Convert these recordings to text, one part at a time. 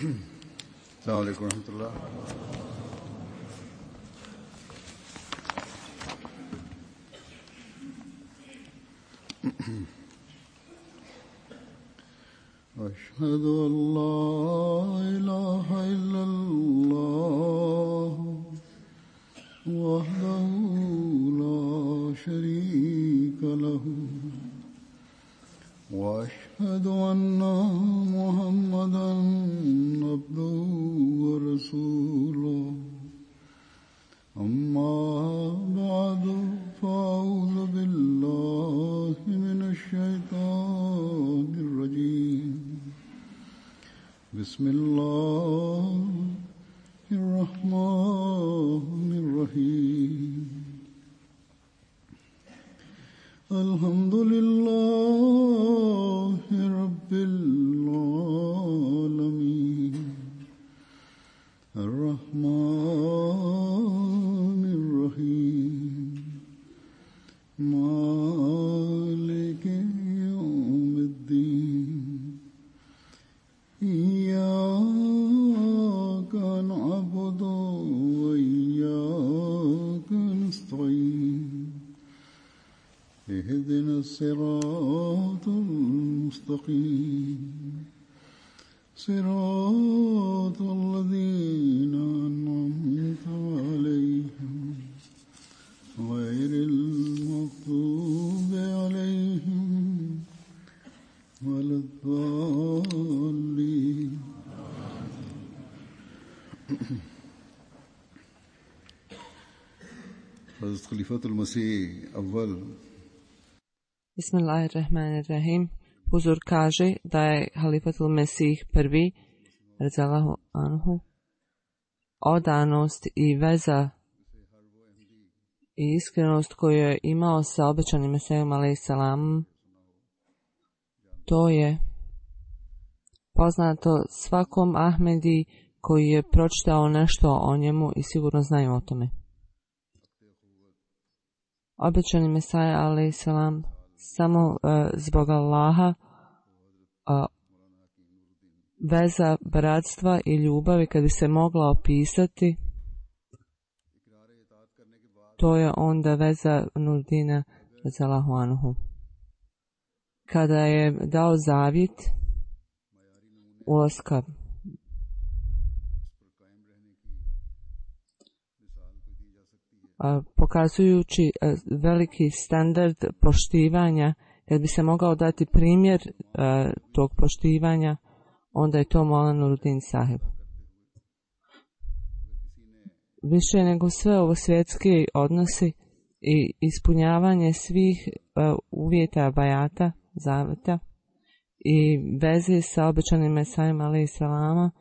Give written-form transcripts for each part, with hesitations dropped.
السلام عليكم ورحمة الله. أشهد أن لا إله إلا الله وحده لا شريك له وأشهد أن محمدا عبده ورسوله أما بعد فأعوذ بالله من الشيطان الرجيم بسم الله الرحمن الرحيم الحمد لله رب العالمين الرحمن الرحيم مالك يوم الدين إياك نعبد وإياك نستعين اهدنا الصراط المستقيم صراط الذين أنعمت عليهم غير المغضوب عليهم ولا الضالين. حضرت खलीफतुल मसीह अव्वल Bismillahirrahmanirrahim. Huzur kaže da je Halifatul Mesih prvi, radzalahu anhu, odanost i veza i iskrenost koju je imao sa obećanim Mesijom alejselam, to je poznato svakom Ahmedi koji je pročitao nešto o njemu i sigurno znaju o tome. Obećani Mesija alejselam samo zbog Allaha, veza bratstva i ljubavi kad bi se mogla opisati, to je onda veza Nurdina radzalahu anhu. Kada je dao zavjet ulaska pokazujući veliki standard poštivanja, kad bi se mogao dati primjer tog poštivanja, onda je to Maulana Nuruddin Sahib. Više nego sve ovo svjetski odnosi i ispunjavanje svih uvjeta bajata, zaveta i veze sa obećanim Mesijom alejselama,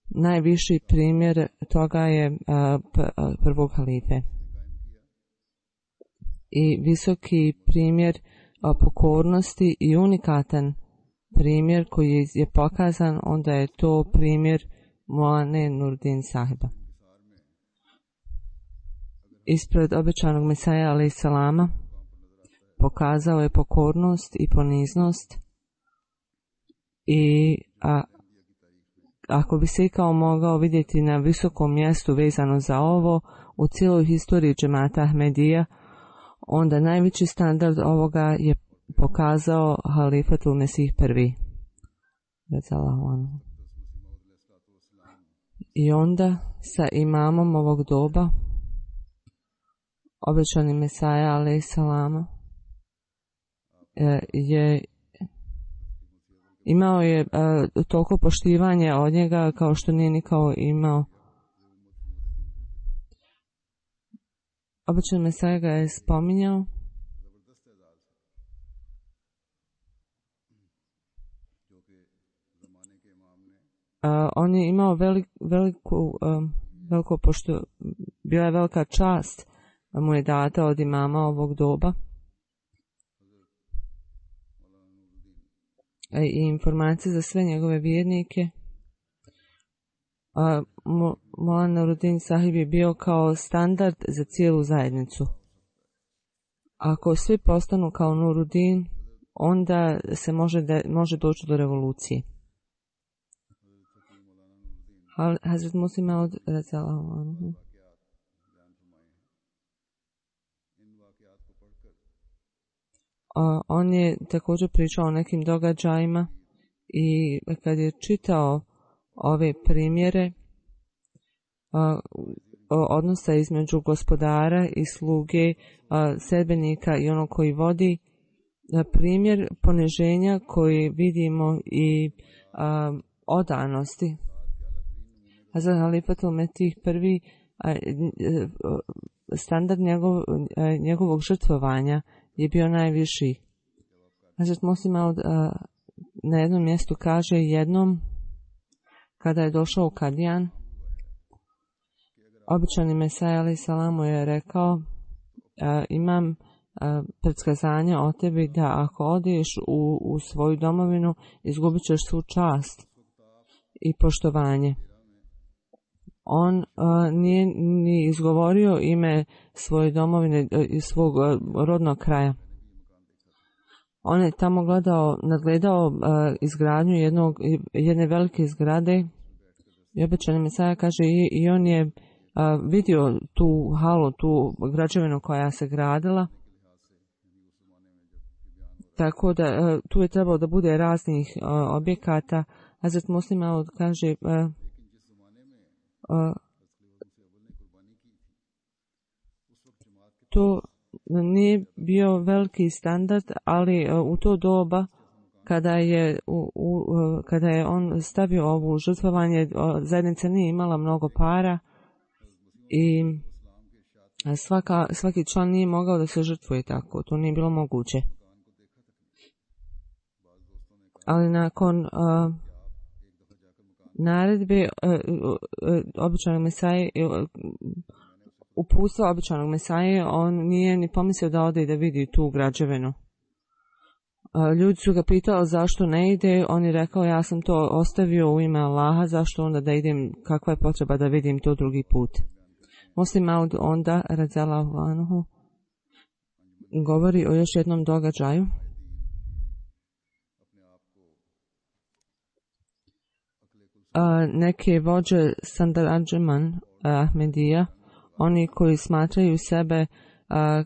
najviši primjer toga je prvog halife. I visoki primjer pokornosti i unikatan primjer koji je pokazan, onda je to primjer Maulane Nuruddin Sahiba. Ispred obećanog Mesija alejselama pokazao je pokornost i poniznost i ako bi se ikao mogao vidjeti na visokom mjestu vezano za ovo u cijeloj historiji džemata Ahmedija, onda najveći standard ovoga je pokazao Halifatul Mesih prvi. I onda sa imamom ovog doba, obećani Mesija alejselama, imao je toliko poštivanje od njega kao što nije nikao imao. Obećani Mesija ga je spominjao. On je imao veliko pošto bila je velika čast mu je data od imama ovog doba. I informacije za sve njegove vjernike. Maulana Nuruddin Sahib je bio kao standard za cijelu zajednicu. Ako svi postanu kao Nuruddin, onda se može doći do revolucije. Hazret Muslim Maud radijallahu anhu. On je također pričao o nekim događajima i kad je čitao ove primjere odnosa između gospodara i sluge, sedbenika i onog koji vodi, primjer poniženja koji vidimo i odanosti. Hazrat Halifatul Mesih prvi standard njegovog žrtvovanja je bio najviši. Hazrat Muslim Maud na jednom mjestu kaže jednom kada je došao u Kadijan, običani Mesaja alejhi selam je rekao imam predskazanje o tebi da ako odeš u svoju domovinu izgubit ćeš svu čast i poštovanje. On nije ni izgovorio ime svoje domovine i svog rodnog kraja. On je tamo nadgledao izgradnju jedne velike zgrade i običani Mesaja kaže i on je vidio tu halu, tu građevinu koja se gradila. Tako da tu je trebalo da bude raznih objekata. Hazrat Muslim Maud kaže to nije bio veliki standard, ali u to doba kada je on stavio ovu žrtvovanje, zajednica nije imala mnogo para i svaki član nije mogao da se žrtvuje tako, to nije bilo moguće. Ali nakon naredbe običanog Mesaje, uputstva običanog Mesaje, on nije ni pomislio da ode i da vidi tu građevinu. Ljudi su ga pitali zašto ne ide, on je rekao ja sam to ostavio u ime Allaha, zašto onda da idem, kakva je potreba da vidim to drugi put. Muslim Maud onda, radijallahu anhu, govori o još jednom događaju. Neke vođe Sandaradžeman Ahmedija, oni koji smatraju sebe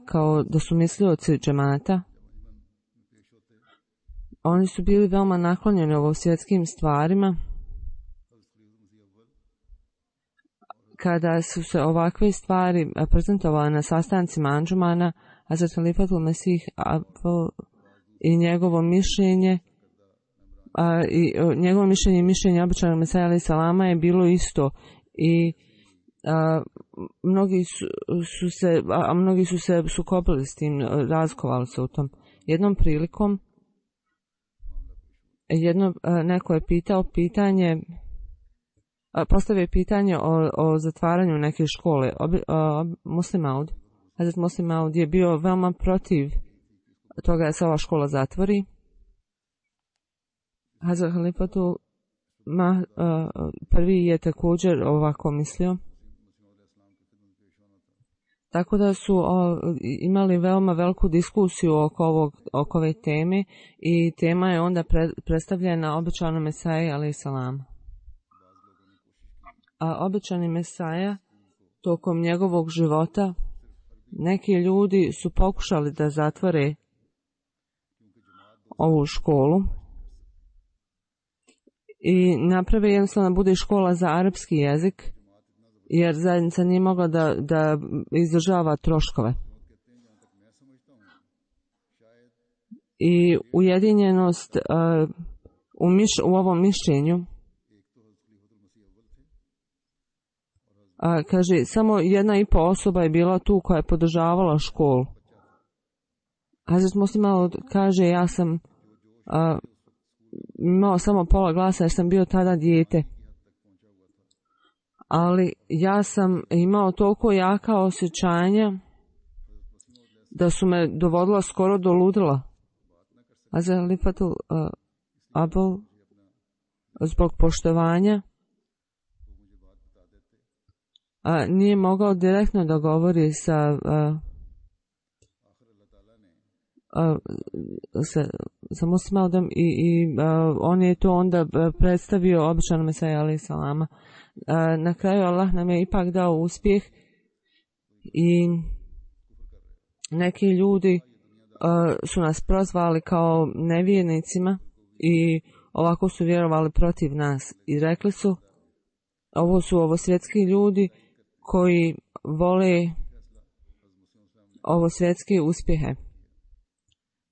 kao da su mislioci džemata, oni su bili veoma naklonjeni ovo svjetskim stvarima. Kada su se ovakve stvari prezentovale na sastancima Anđumana, Hazrat Halifatul Mesih i njegovo mišljenje i mišljenje običanog Mesaja alejhi selama je bilo isto i mnogi su se sukobili s tim, razkovali se u tom. Jednom prilikom neko je postavio pitanje o zatvaranju neke škole. Muslim Maud, Hazrat Muslim Maud je bio veoma protiv toga da se ova škola zatvori. Hazrat Halifatul prvi je također ovako mislio. Tako da su imali veoma veliku diskusiju oko ove teme i tema je onda predstavljena običanom Mesaji alejhi selam. A običani Mesaja tokom njegovog života neki ljudi su pokušali da zatvore ovu školu i naprave jednostavno bude škola za arapski jezik, jer zajednica nije mogla da izdržava troškove. I ujedinjenost u ovom mišljenju, kaže, samo 1,5 osoba je bila tu koja je podržavala školu. Hazrat Muslim Maud kaže, ja sam imao samo pola glasa jer sam bio tada dijete. Ali ja sam imao toliko jaka osjećanja da su me dovodila skoro do ludila. Hazrat Halifatul Abul zbog poštovanja nije mogao direktno da govori sa sa Musmaudom i on je to onda predstavio običanom Mesaji alejhi salama. Na kraju Allah nam je ipak dao uspjeh i neki ljudi su nas prozvali kao nevjernicima i ovako su vjerovali protiv nas i rekli su ovo svjetski ljudi koji vole ovo svjetske uspjehe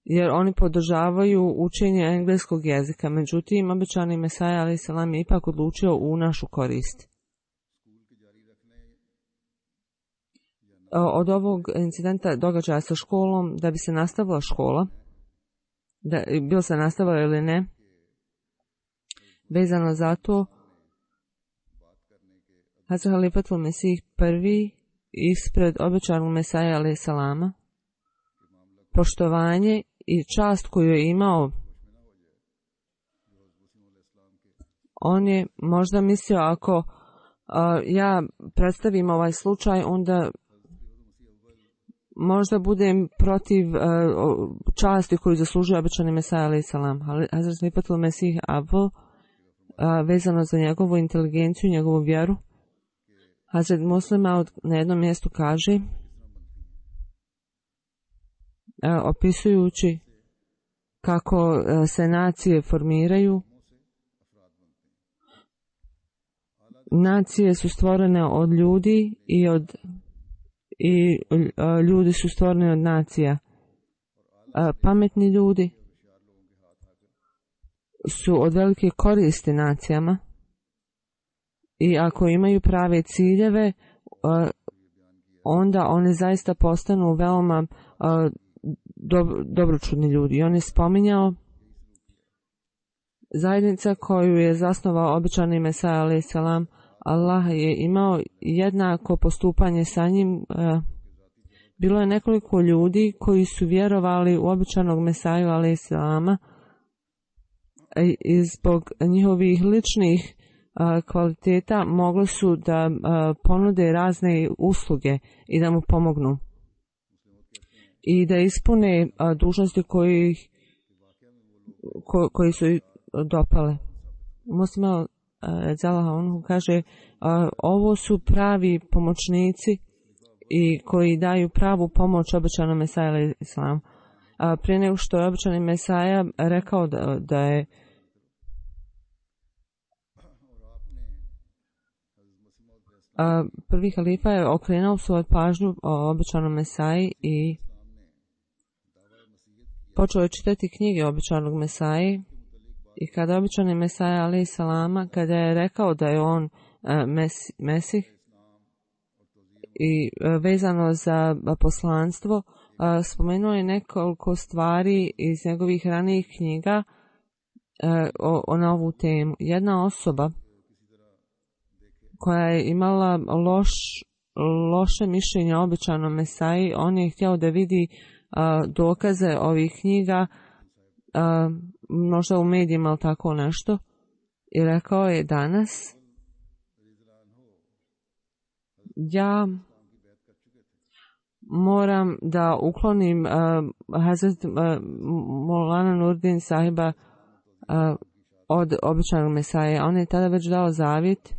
jer oni podržavaju učenje engleskog jezika. Međutim, obećani Mesaja alejhi selam je ipak odlučio u našu korist. Od ovog incidenta događaja sa školom, da bi se nastavila škola, da bilo se nastavila ili ne, vezano za to, Hazrat Halifatul Mesih prvi ispred obećanog Mesaja alejhi selama, poštovanje i čast koju je imao, on je možda mislio ako ja predstavim ovaj slučaj, onda možda budem protiv časti koju zaslužuje obećani Mesaja alejhi selam. Hazrat Halifatul Mesih Avl, vezano za njegovu inteligenciju, njegovu vjeru, Hazrat Muslim Maud na jednom mjestu kaže, opisujući kako se nacije formiraju, nacije su stvorene od ljudi i ljudi su stvoreni od nacija. Pametni ljudi su od velike koristi nacijama i ako imaju prave ciljeve, onda oni zaista postanu veoma dobročudni ljudi. I on je spominjao zajednica koju je zasnovao obećani Mesaja alejhi selam. Allah je imao jednako postupanje sa njim. Bilo je nekoliko ljudi koji su vjerovali u obećanog Mesaju alejhi selama i zbog njihovih ličnih kvaliteta mogli su da ponude razne usluge i da mu pomognu i da ispune dužnosti koji su dopale. Muslim Zalaha on kaže, ovo su pravi pomoćnici i koji daju pravu pomoć obećanom Mesaji alejhi selam. Prije nego što je obećani Mesaja rekao da je prvi halifa je okrenuo svoju pažnju o obećanom Mesaji i počeo je čitati knjige obećanog Mesaji. I kada je obećani Mesaja alejhi selama, kada je rekao da je on Mesih i vezano za poslanstvo, spomenuo je nekoliko stvari iz njegovih ranijih knjiga na ovu temu. Jedna osoba koja je imala loše mišljenje o obećanom Mesaji, on je htio da vidi dokaze ovih knjiga, možda u medijima ili tako nešto, i rekao je danas ja moram da uklonim Hazrat Maulana Nurdin sahiba od obećanog Mesaje. On je tada već dao zavjet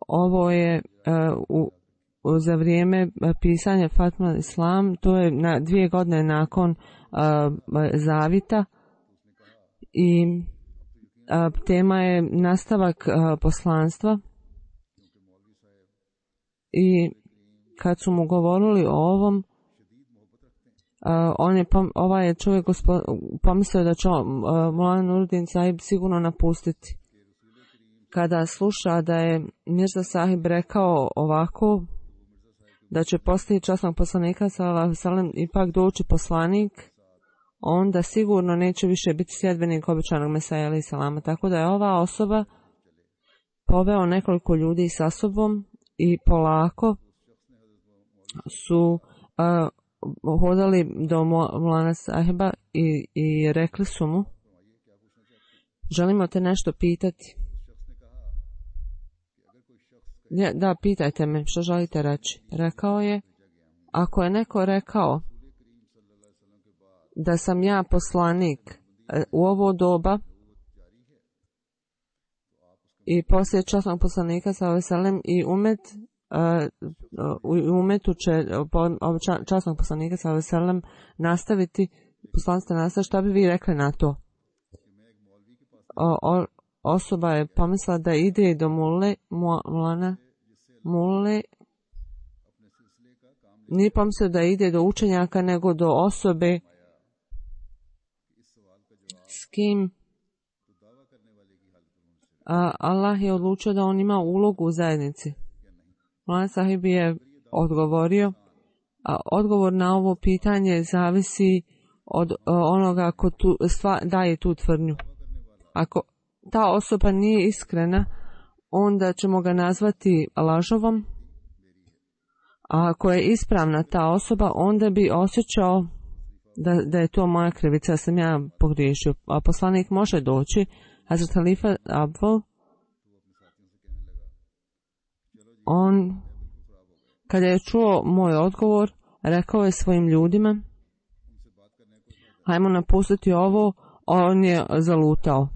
ovo je za vrijeme pisanja Fatma Islam, to je 2 godine nakon zavita i tema je nastavak poslanstva. I kad su mu govorili o ovom, ovaj je čovjek pomislio da će Maulana Nurdin sahib sigurno napustiti. Kada sluša da je Mirza sahib rekao ovako, da će poslije časnog poslanika sallallahu alejhi ve sellem ipak doći poslanik, onda sigurno neće više biti sljedbenik obećanog Mesaja alejhi selama. Tako da je ova osoba poveo nekoliko ljudi sa sobom i polako su hodali do Maulana sahiba i rekli su mu, želimo te nešto pitati. Da, pitajte me, što želite reći? Rekao je, Ako je neko rekao da sam ja poslanik u ovo doba i poslije časnog poslanika sallallahu i umetu će časnog poslanika sallallahu nastaviti poslanstvo nastaviti, šta bi vi rekli na to? Osoba je pomislila da ide do mulle, nije pomislio da ide do učenjaka, nego do osobe s kim Allah je odlučio da on ima ulogu u zajednici. Mulana Sahib je odgovorio, a odgovor na ovo pitanje zavisi od onoga ko daje tu tvrdnju. Ako ta osoba nije iskrena, onda ćemo ga nazvati lažovom, a ako je ispravna ta osoba, onda bi osjećao da je to moja krivica, da sam ja pogriješio. A poslanik može doći, Hazrat Halifa Abdul, on, kada je čuo moj odgovor, rekao je svojim ljudima, hajmo napustiti ovo, on je zalutao.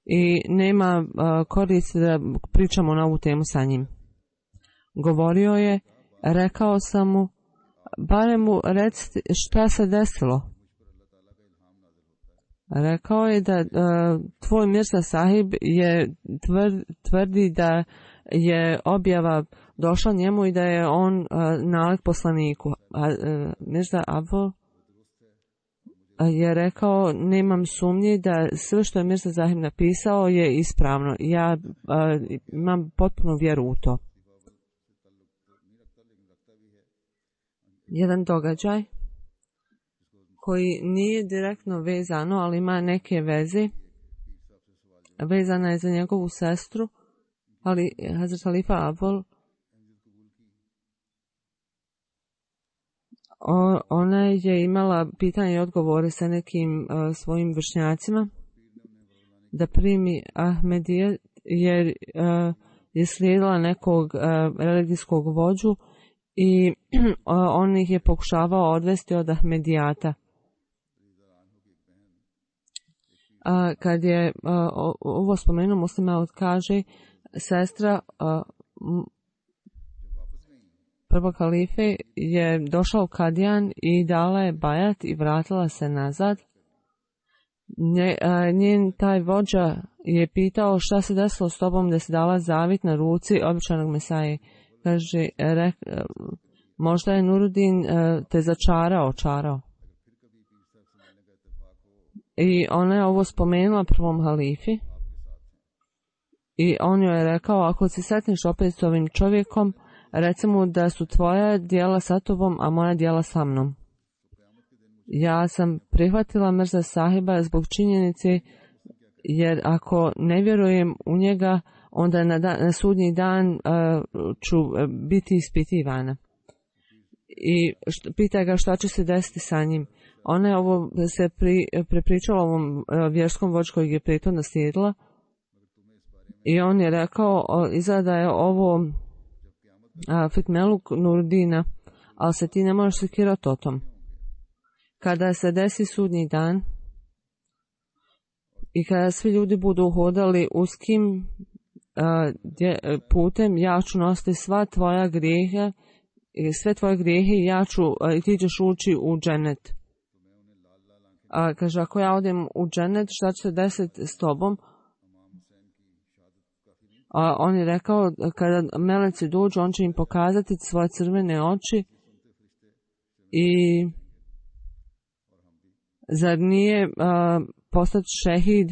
I nema koristi da pričamo na ovu temu sa njim. Govorio je, rekao sam mu, barem mu recite šta se desilo. Rekao je da tvoj Mirza Sahib je tvrdi da je objava došla njemu i da je on nalik poslaniku. Mirza Abdul je rekao, nemam sumnje da sve što je Mirza Sahib napisao je ispravno. Ja imam potpunu vjeru u to. Jedan događaj koji nije direktno vezano, ali ima neke veze. Vezana je za njegovu sestru, ali Hazrat Halifa Abdul, ona je imala pitanje i odgovore sa nekim svojim vršnjacima da primi Ahmedije, jer je slijedila nekog religijskog vođu i on ih je pokušavao odvesti od Ahmedijata. Kad je ovo spomenuo, Muslima kaže, sestra prvog halife je došla u Kadijan i dala je bajat i vratila se nazad. Njen taj vođa je pitao šta se desilo s tobom da se dala zavit na ruci običanog Mesaje. Kaže, možda je Nuruddin te čarao. I ona je ovo spomenula prvom halifi i on joj je rekao, ako se setniš opet s ovim čovjekom, reci mu da su tvoja djela sa tobom, a moja djela sa mnom. Ja sam prihvatila Mirza Sahiba zbog činjenice, jer ako ne vjerujem u njega, onda na sudnji dan ću biti ispitivana. I pita ga šta će se desiti sa njim. Ona je ovo se prepričala ovom vjerskom vođu kojeg je pritom naslijedila i on je rekao, izgleda je ovo fitmeluk Nuruddina, ali se ti ne možeš sekirati o tom. Kada se desi sudnji dan i kada svi ljudi budu hodali uskim putem, ja ću nositi sve tvoje grijehe i ti ćeš ući u džennet. Kaže, ako ja odem u džennet, šta će se desiti s tobom? On je rekao, kada meleci dođu, on će im pokazati svoje crvene oči i zar nije postati šehid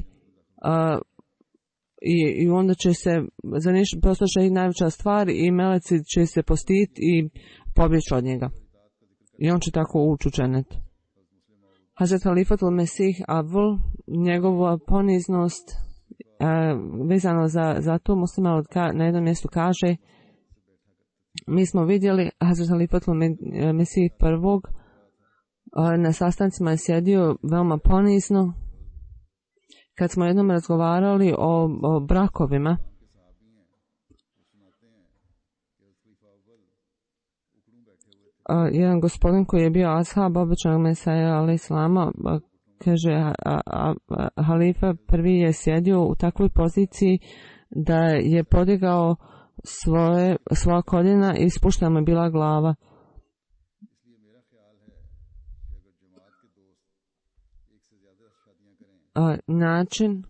i onda će se, zar nije postati šehid najveća stvar i meleci će se postiti i pobjeći od njega. I on će tako ući u džennet. Hazrat Halifatul Mesih Abdul, njegova poniznost vezano za to, Muslima na jednom mjestu kaže, mi smo vidjeli Hazrat Halifatul Mesih prvog, na sastancima je sjedio veoma ponizno. Kad smo jednom razgovarali o brakovima, jedan gospodin koji je bio ashab običnog Mesaja alejhi selama, kaže halifa prvi je sjedio u takvoj poziciji da je podigao svoja koljena i spuštena mu je bila glava. Način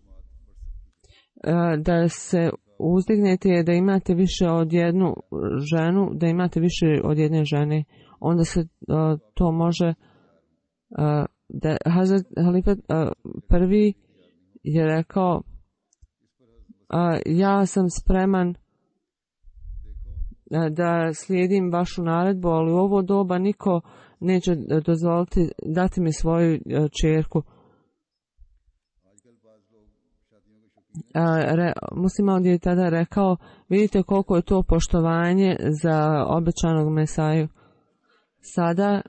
da se uzdignete je da imate više od jednu ženu, da imate više od jedne žene. Onda se to može da Hazret Halifa prvi je rekao ja sam spreman da slijedim vašu naredbu, ali u ovo doba niko neće dozvoliti dati mi svoju čerku. Musliman je tada rekao, vidite koliko je to poštovanje za obećanog Mesaju. Sada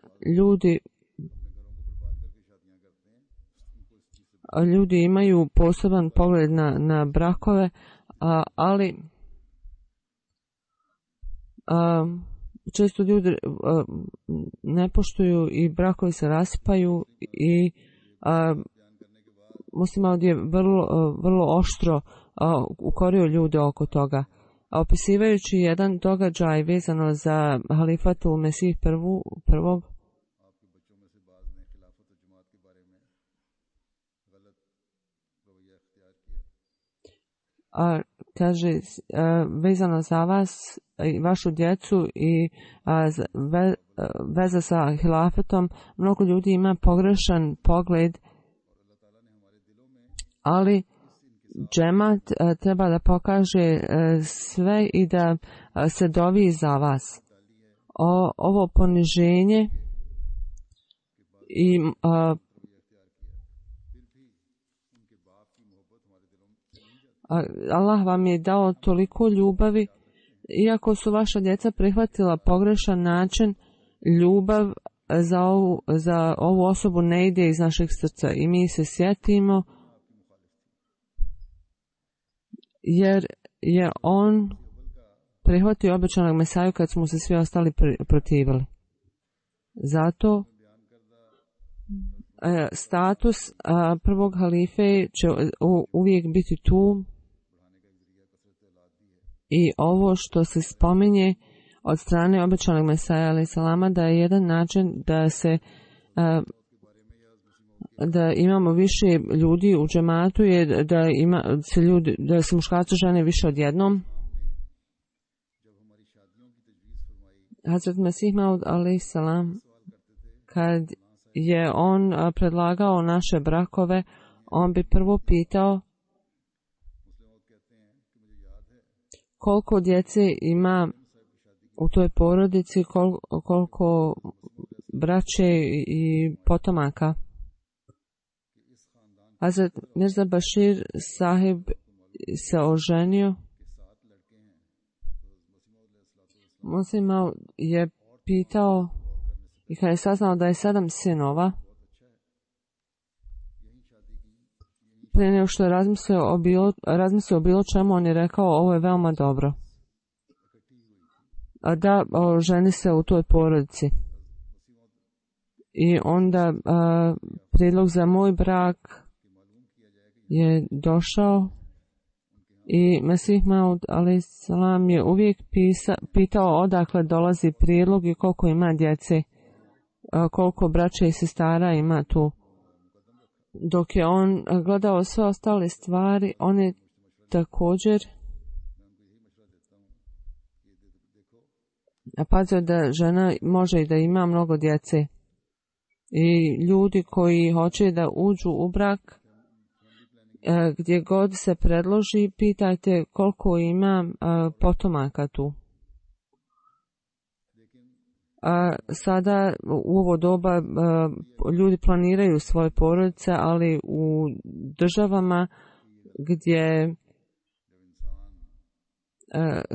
ljudi imaju poseban pogled na brakove, ali često ljudi ne poštuju i brakovi se raspaju i Musliman je vrlo oštro ukorio ljude oko toga. Opisivajući jedan događaj vezano za halifatul Mesih prvog, kaže vezano za vas i vašu djecu i veza sa hilafetom, mnogo ljudi ima pogrešan pogled, ali džemat treba da pokaže sve i da se dovi za vas. Ovo poniženje i Allah vam je dao toliko ljubavi, iako su vaša djeca prihvatila pogrešan način, ljubav za ovu osobu ne ide iz našeg srca i mi se sjetimo jer je on prihvatio obećanog Mesaju kad smo se svi ostali protivili. Zato status prvog halife će uvijek biti tu i ovo što se spominje od strane obećanog Mesaja alejhi selama da je jedan način da se da imamo više ljudi u džematu je da se muškarci žene više odjednom. Hazret Mesih Maud alejhi selam kad je on predlagao naše brakove, on bi prvo pitao koliko djece ima u toj porodici, koliko braće i potomaka. Hazret Mirza Bashir sahib se oženio. Muslim je pitao i kad je saznao da je 7 sinova, prije nego što je razmislio o bilo čemu, on je rekao ovo je veoma dobro. Da ženi se u toj porodici. I onda prijedlog za moj brak je došao i Mesih Maud alejhi selam je uvijek pitao odakle dolazi prijedlog i koliko ima djece, koliko braće i sestara ima tu. Dok je on gledao sve ostale stvari, on je također pazio da žena može i da ima mnogo djece. I ljudi koji hoće da uđu u brak, gdje god se predloži, pitajte koliko ima potomaka tu. Sada u ovo doba ljudi planiraju svoje porodice, ali u državama gdje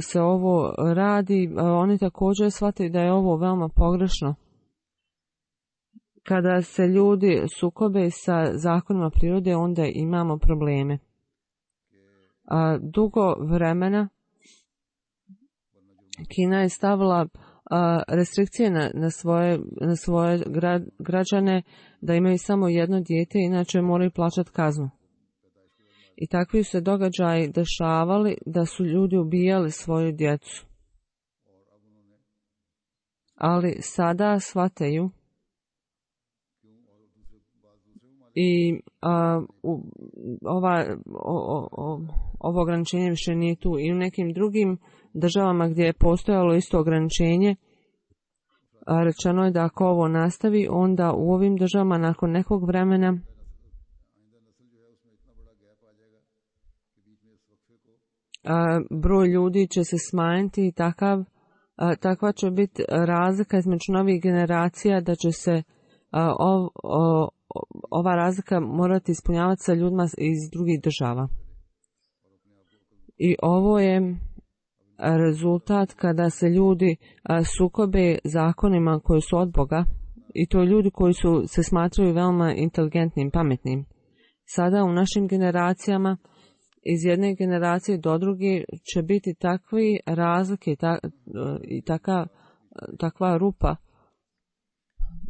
se ovo radi, oni također shvataju da je ovo veoma pogrešno. Kada se ljudi sukobe sa zakonima prirode, onda imamo probleme. Dugo vremena Kina je stavila restrikcije na svoje građane da imaju samo jedno dijete, inače moraju plaćati kaznu. I takvi su se događaji dešavali da su ljudi ubijali svoju djecu. Ali sada shvataju i ovo ograničenje više nije tu. I u nekim drugim državama gdje je postojalo isto ograničenje, rečeno je da ako ovo nastavi, onda u ovim državama nakon nekog vremena broj ljudi će se smanjiti i takva će biti razlika između novih generacija da će se ova razlika morati ispunjavati sa ljudima iz drugih država. I ovo je rezultat kada se ljudi sukobe zakonima koji su od Boga, i to ljudi koji se smatraju veoma inteligentnim, pametnim. Sada u našim generacijama iz jedne generacije do druge će biti takvi razlike i takva rupa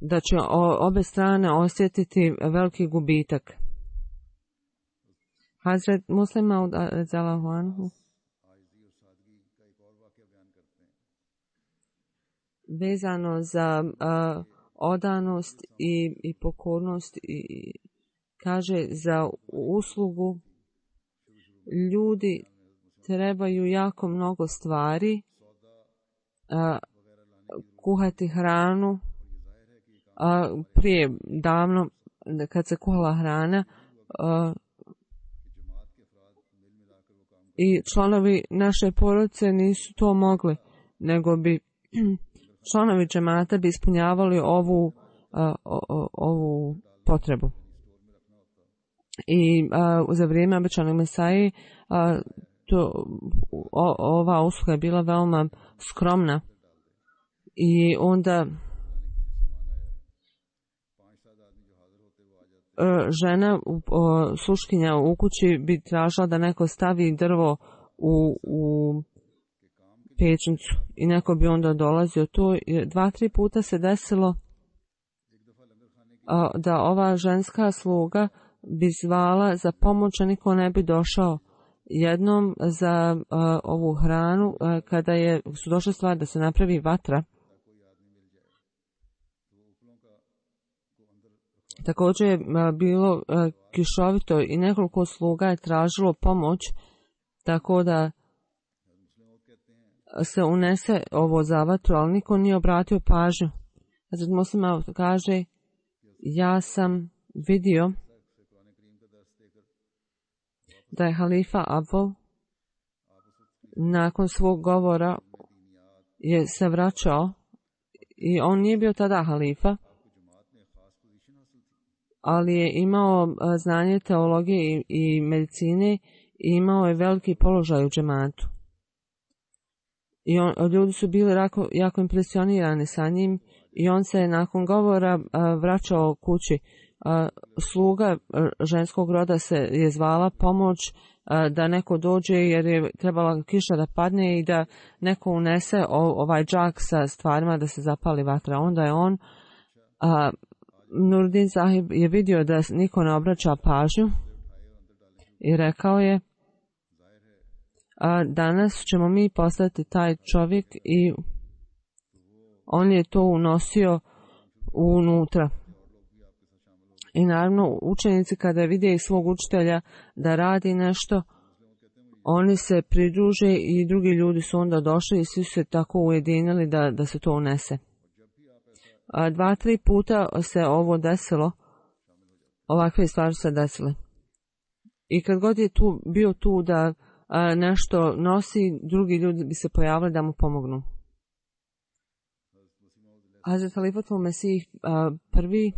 da će obe strane osjetiti veliki gubitak. Hazret Muslim Maud radhiyallahu anhu vezano za odanost i pokornost i kaže za uslugu ljudi trebaju jako mnogo stvari, kuhati hranu, prije davno kad se kuhala hrana i članovi naše porodice nisu to mogli, nego bi članovi džemata bi ispunjavali ovu potrebu. I za vrijeme obećanog Mesaje ova usluga je bila veoma skromna i onda žena, sluškinja u kući bi tražila da neko stavi drvo u pečnicu i neko bi onda dolazio. To 2-3 puta se desilo da ova ženska sluga bi zvala za pomoć, a niko ne bi došao. Jednom za ovu hranu, kada su došle stvari da se napravi vatra, također je bilo kišovito i nekoliko sluga je tražilo pomoć, tako da se unese ovo za vatru, ali niko nije obratio pažnju. Hazret Muslima kaže, ja sam vidio da je halifa Abul nakon svog govora je se vraćao i on nije bio tada halifa, ali je imao znanje teologije i medicine i imao je veliki položaj u džematu. I ljudi su bili jako impresionirani sa njim i on se nakon govora vraćao kući. Sluga ženskog roda se je zvala pomoć da neko dođe jer je trebala kiša da padne i da neko unese ovaj džak sa stvarima da se zapali vatra. Onda je on, Nuruddin Sahib je vidio da niko ne obraća pažnju i rekao je, danas ćemo mi postati taj čovjek, i on je to unosio unutra. I naravno učenici kada vide svog učitelja da radi nešto, oni se pridruže i drugi ljudi su onda došli i svi su se tako ujedinili da se to unese. 2-3 puta se ovo desilo, ovakve stvari se desile. I kad god je bio tu da nešto nosi, drugi ljudi bi se pojavili da mu pomognu. Hazret Halifatul Mesih prvi,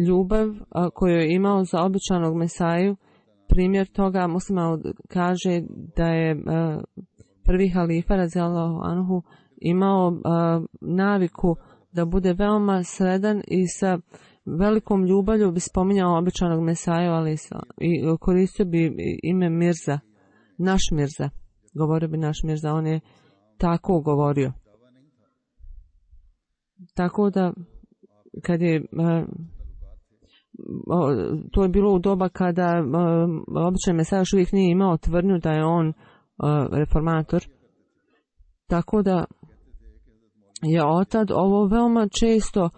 ljubav koju je imao za običanog Mesaju, primjer toga Muslima kaže da je prvi halifa radijallahu anhu imao naviku da bude veoma sredan i sa velikom ljubavlju bi spominjao običanog Mesaju i koristio bi ime Mirza, naš Mirza, govorio bi naš Mirza, on je tako govorio. Tako da, kad je, to je bilo u doba kada običan Mesaja još uvijek nije imao tvrdnju da je on reformator. Tako da je otad ovo veoma često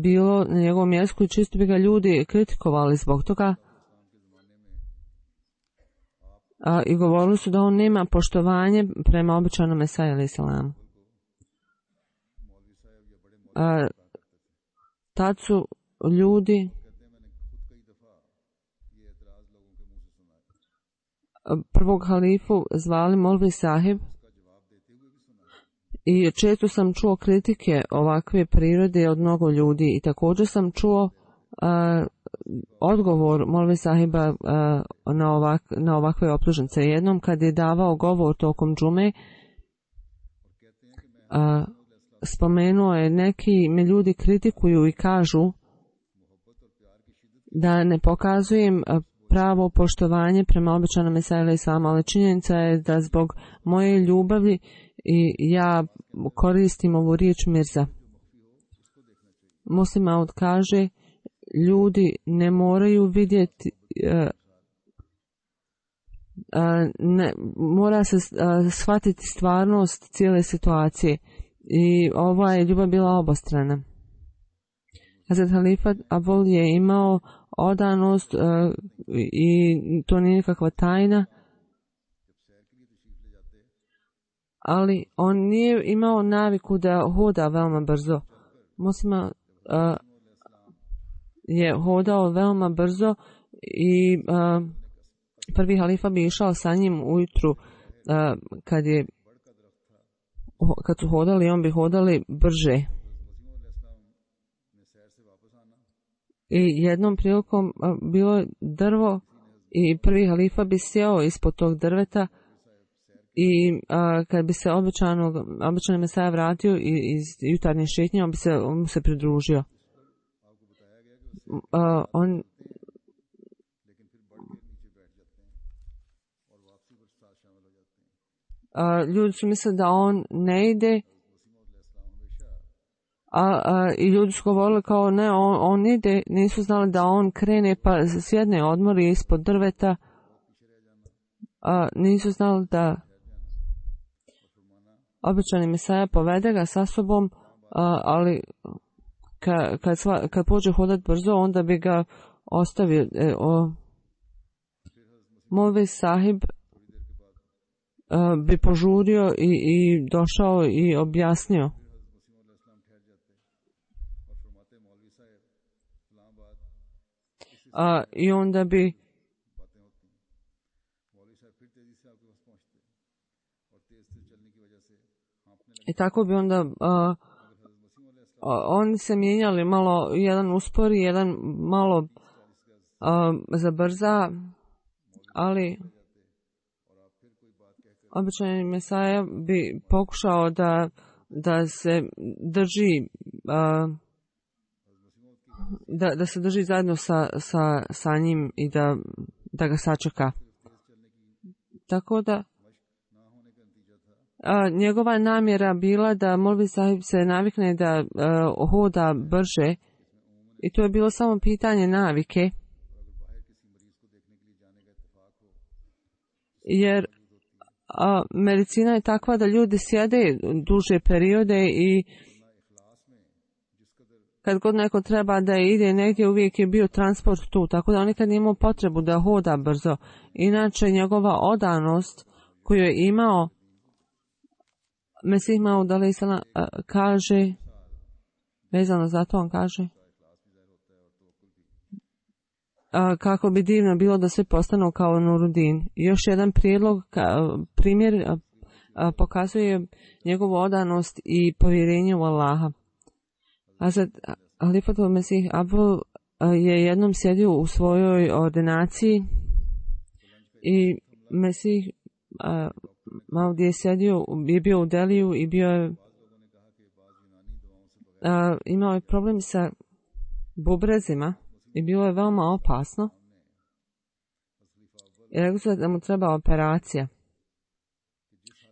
bilo na njegovom jeziku i često bi ga ljudi kritikovali zbog toga. I govorili su da on nema poštovanje prema običajnom Mesaju alejhi selam. Tad su ljudi prvog halifu zvali Molvi Sahib i često sam čuo kritike ovakve prirode od mnogo ljudi i također sam čuo odgovor Molvi Sahiba na ovakve optužnice. Jednom kad je davao govor tokom džume, spomenuo je neki me ljudi kritikuju i kažu da ne pokazujem pravo poštovanje prema običajnom Mesaju alejhi selam, ali činjenica je da zbog moje ljubavi i ja koristim ovu riječ Mirza. Muslim Maud kaže, ljudi ne moraju vidjeti, mora se shvatiti stvarnost cijele situacije i ova je ljubav bila obostrana. Hazrat Halifa Abul je imao odanost i to nije nikakva tajna, ali on nije imao naviku da hoda veoma brzo. Muslima je hodao veoma brzo i prvi halifa bi išao sa njim ujutru kad su hodali, on bi hodali brže. I jednom prilikom bilo je drvo i prvi halifa bi sjeo ispod tog drveta i kad bi se običan Mesaja vratio iz jutarnje šetnje, on mu se pridružio. Ljudi su mislili da on ne ide, i ljudi su govorili kao ne, on ide, nisu znali da on krene pa sjedne odmori ispod drveta, nisu znali da običani Mesaja povede ga sa sobom, ali kad pođe hodati brzo, onda bi ga ostavio. Molvi Sahib bi požurio i došao i objasnio. I onda bi i tako bi onda oni se mijenjali, malo jedan uspori, jedan malo zabrza, ali običan Mesaja bi pokušao da se drži da se drži zajedno sa njim i da ga sačeka. Tako da njegova namjera bila da Molvi Sahib se navikne da hoda brže i to je bilo samo pitanje navike, jer medicina je takva da ljudi sjede duže periode i kad god neko treba da ide negdje, uvijek je bio transport tu, tako da on nikad nije imao potrebu da hoda brzo. Inače, njegova odanost koju je imao, Mesih Maud alejhi selam kaže, vezano za to on kaže, kako bi divno bilo da sve postanu kao Nurudin. Još jedan primjer pokazuje njegovu odanost i povjerenje u Allaha. Hazrat Halifatul Mesih Abul je jednom sjedio u svojoj ordinaciji i Mesih Maud je sjedio, je bio u Deliju i imao je problem sa bubrezima i bilo je veoma opasno. I rekao su da mu treba operacija.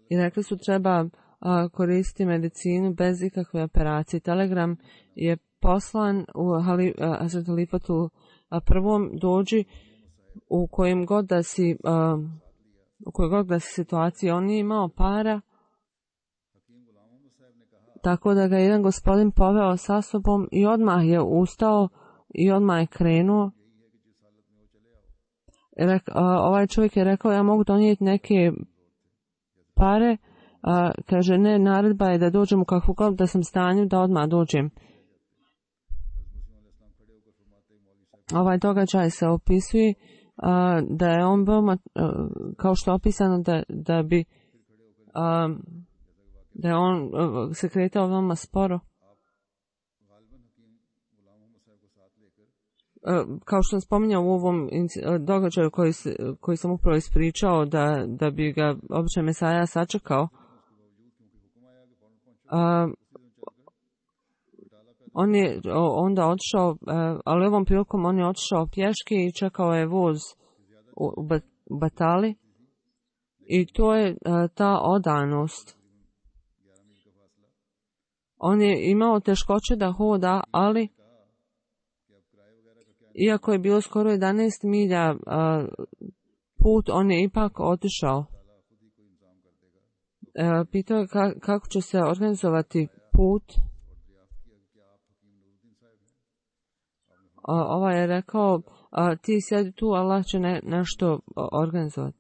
I rekli su treba koristiti medicinu bez ikakve operacije. Telegram je poslan u Hazret Halifatu prvom dođi u kojem god da si u kojoj god da si situaciji. On nije imao para, tako da ga jedan gospodin poveo sa sobom i odmah je ustao i odmah je krenuo. Ovaj čovjek je rekao ja mogu donijeti neke pare. Kaže ne, naredba je da dođem u kakvu god da sam stanju da odmah dođem. Ovaj događaj se opisuje da je on veoma, kao što je opisano da bi da je on se kretao veoma sporo. Kao što sam spominjao u ovom događaju koji sam upravo ispričao da bi ga običan Mesaja sačekao, on je onda otišao, ali ovom prilikom on je otišao pješke i čekao je voz u Batali i to je ta odanost. On je imao teškoće da hoda, ali iako je bilo skoro 11 milja put, on je ipak otišao. Pitao je kako će se organizovati put. Ovaj je rekao, ti sjedi tu, Allah će nešto organizovati.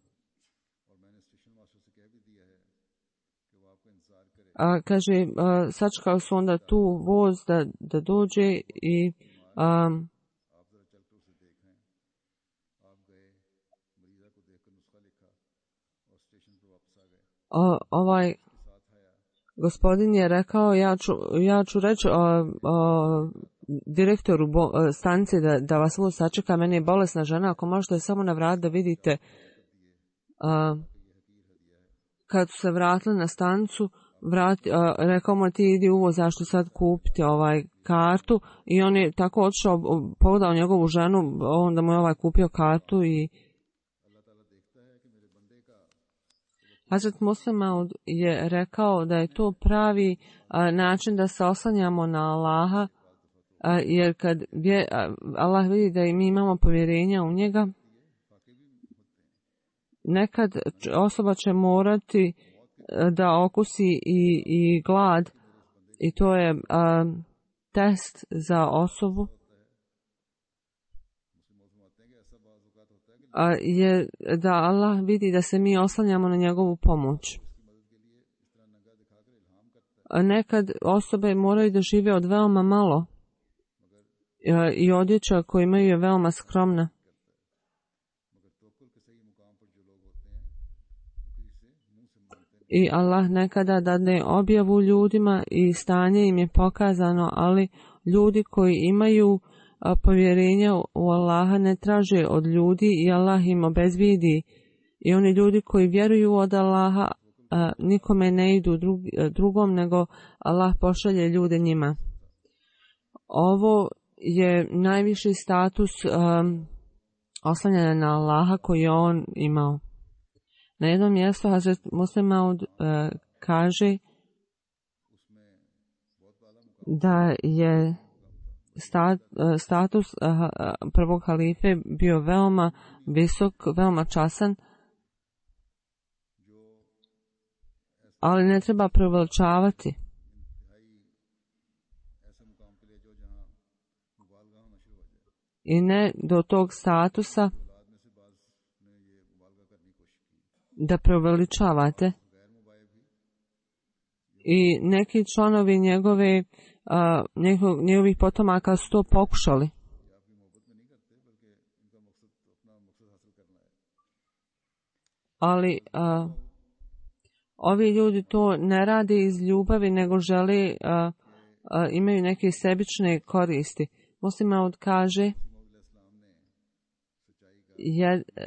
Kaže, sačekao su onda tu voz da dođe i ovaj gospodin je rekao, ja ću reći direktoru stanice da vas voz sačeka, meni je bolesna žena, ako možete samo na vrat da vidite. Kad su se vratili na stanicu, rekao mu ti idi u voz, zašto sad kupiti kartu, i on je tako otišao, pogledao njegovu ženu, onda mu je kupio kartu i Hazret Muslim Maud je rekao da je to pravi način da se oslanjamo na Allaha, jer kad Allah vidi da i mi imamo povjerenja u njega, nekad osoba će morati da okusi i glad, i to je test za osobu, je da Allah vidi da se mi oslanjamo na njegovu pomoć. Nekad osobe moraju da žive od veoma malo i odjeća koju imaju je veoma skromna. I Allah nekada dadne objavu ljudima i stanje im je pokazano, ali ljudi koji imaju povjerenja u Allaha ne traže od ljudi i Allah im obezbijedi. I oni ljudi koji vjeruju od Allaha nikome ne idu drugom, nego Allah pošalje ljude njima. Ovo je najviši status oslanjanja na Allaha koji je on imao. Na jednom mjestu Hazret Muslim Maud kaže da je status prvog halife bio veoma visok, veoma časan, ali ne treba preveličavati. I ne do tog statusa da preveličavate. I neki članovi njegovih potomaka su to pokušali. Ali ovi ljudi to ne rade iz ljubavi, nego žele, imaju neke sebične koristi. Muslim Maud kaže,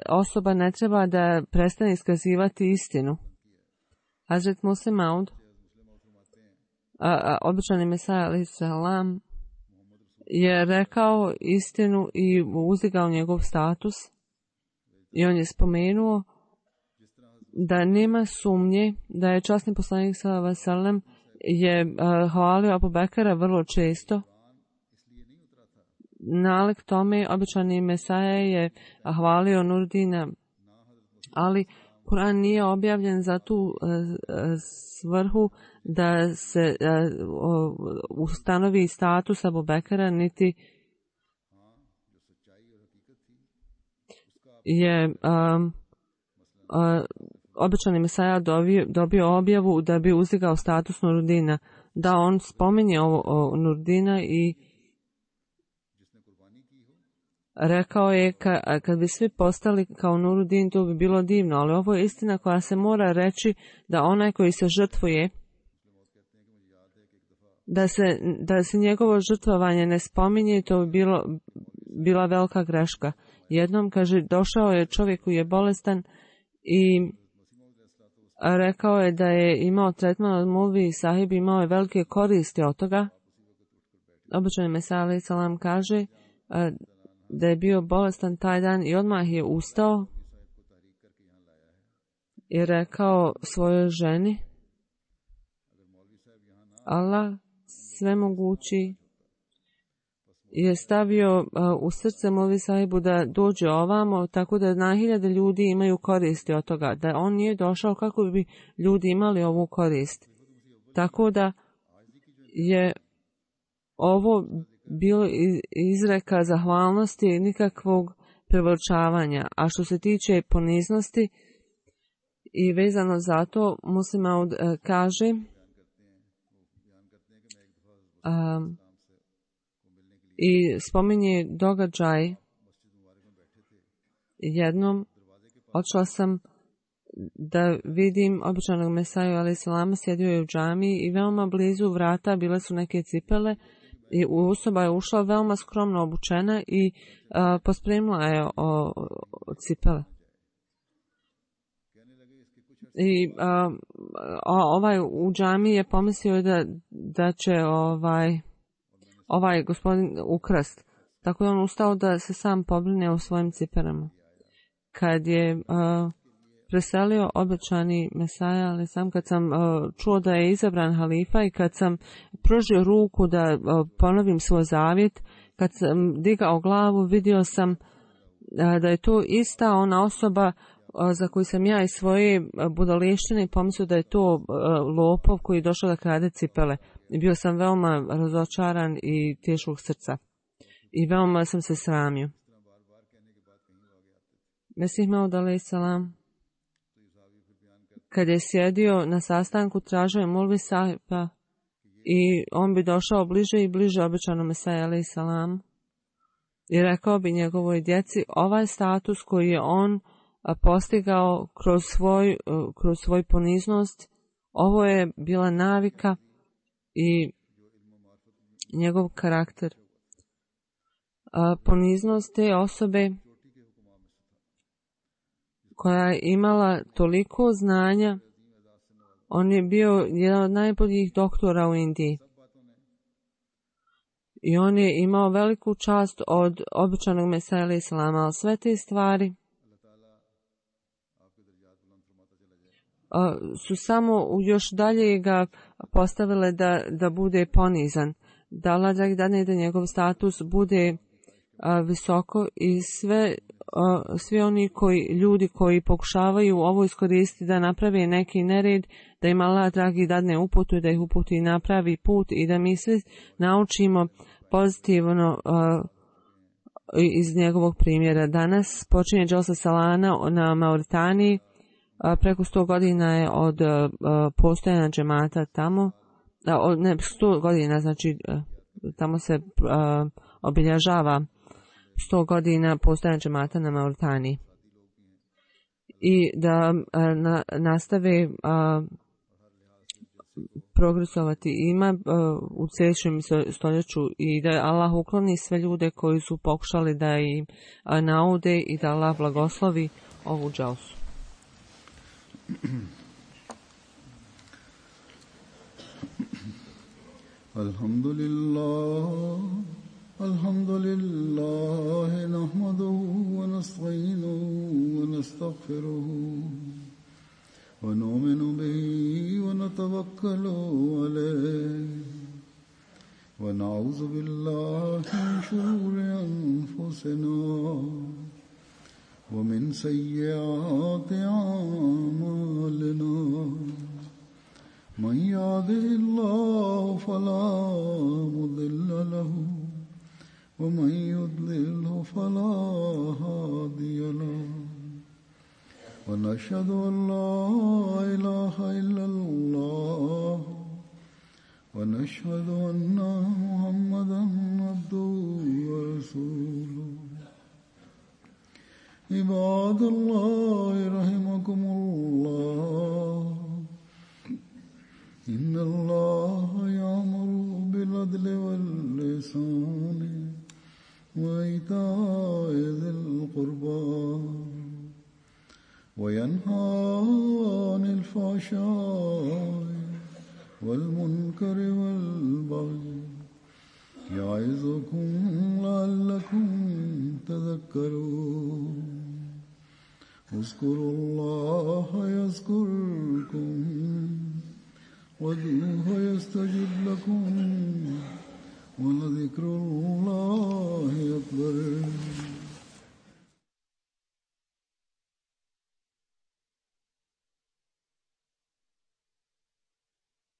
osoba ne treba da prestane iskazivati istinu. Hazret Muslim Maud, običani Mesaja alejhi selam, je rekao istinu i uzdigao njegov status, i on je spomenuo da nema sumnje da je časni poslanik sallallahu alejhi ve sellem je hvalio Abu Bekra vrlo često. Nalik tome običani Mesaja je hvalio Nurdina, ali Kur'an nije objavljen za tu svrhu da se ustanovi status Abu Bekra, niti je običani Mesaja dobio objavu da bi uzdigao status Nurdina. Da, on spominje ovo Nurdina i rekao je kad bi svi postali kao Nuruddin, to bi bilo divno, ali ovo je istina koja se mora reći, da onaj koji se žrtvuje, da se njegovo žrtvovanje ne spominje, to bi bila velika greška. Jednom, kaže, došao je čovjek koji je bolestan i rekao je da je imao tretman od Mulvi i Sahib, imao je velike koristi od toga. Običani Mesija alejhi selam kaže da je bio bolestan taj dan i odmah je ustao i rekao svojoj ženi: Allah svemogući je stavio u srce Mulvi Sahibu da dođe ovamo, tako da na hiljade ljudi imaju koristi od toga. Da on nije došao, kako bi ljudi imali ovu korist. Tako da je ovo bilo izreka zahvalnosti i nikakvog preveličavanja. A što se tiče poniznosti i vezano za to, Muslim Maud kaže i spominje događaj. Jednom odšla sam da vidim običanog Mesaju alejhi selam, sjedio je u džamiji i veoma blizu vrata bile su neke cipele i osoba je ušla veoma skromno obučena i pospremila je cipele. I ovaj u džamiji je pomislio da će ovaj gospodin ukrast. Tako je on ustao da se sam pobrine o svojim ciperama. Kad je preselio obećani Mesaja, ali kad sam čuo da je izabran halifa i kad sam pružio ruku da ponovim svoj zavjet, kad sam digao glavu, vidio sam da je to ista ona osoba za koju sam ja iz svoje budaleštine pomislio da je to lopov koji je došao da krade cipele. I bio sam veoma razočaran i teškog srca. I veoma sam se sramio. Mesih Maud alejhi selam, kad je sjedio na sastanku, tražio je Mulvi Sahiba i on bi došao bliže i bliže obećanom Mesaju alejhi selam i rekao bi njegovoj djeci: ovaj status koji je on postigao kroz svoj poniznost, ovo je bila navika i njegov karakter. Poniznost te osobe koja je imala toliko znanja, on je bio jedan od najboljih doktora u Indiji. I on je imao veliku čast od običanog Mesija alejhi selam, ali sve te stvari su samo još dalje ga postavile da bude ponizan. Da Allah dadne da njegov status bude visoko i svi oni ljudi koji pokušavaju ovo iskoristiti da naprave neki nered, da im Allah dragi dadne uputu i da ih uputi i napravi put i da mi svi naučimo pozitivno iz njegovog primjera. Danas počinje Dželsa Salana na Mauritaniji. Preko 100 godina je od postojanja džemata tamo. 100 godina, znači tamo se obilježava 100 godina postojanja džemata na Mauritaniji. I da nastave progresovati ima u sljedećem stoljeću i da Allah ukloni sve ljude koji su pokušali da im naude i da Allah blagoslovi ovu dželsu. Alhamdulillah nahmaduhu wa nasta'inuhu wa nastaghfiruhu ونؤمن به ونتوكل عليه ونعوذ بالله من شرور أنفسنا ومن سيئات أعمالنا من يهده الله فلا مضل له ومن يضلله فلا هادي له ونشهد أن لا إله إلا الله ونشهد أن محمدا عبده ورسوله عباد الله رحمكم الله إن الله يأمر بالعدل والإحسان وإيتاء ذي القربى وينهى عن الفحشاء والمنكر والبغي يعظكم لعلكم تذكرون اذكروا الله يذكركم وادعوه يستجب لكم ولذكر الله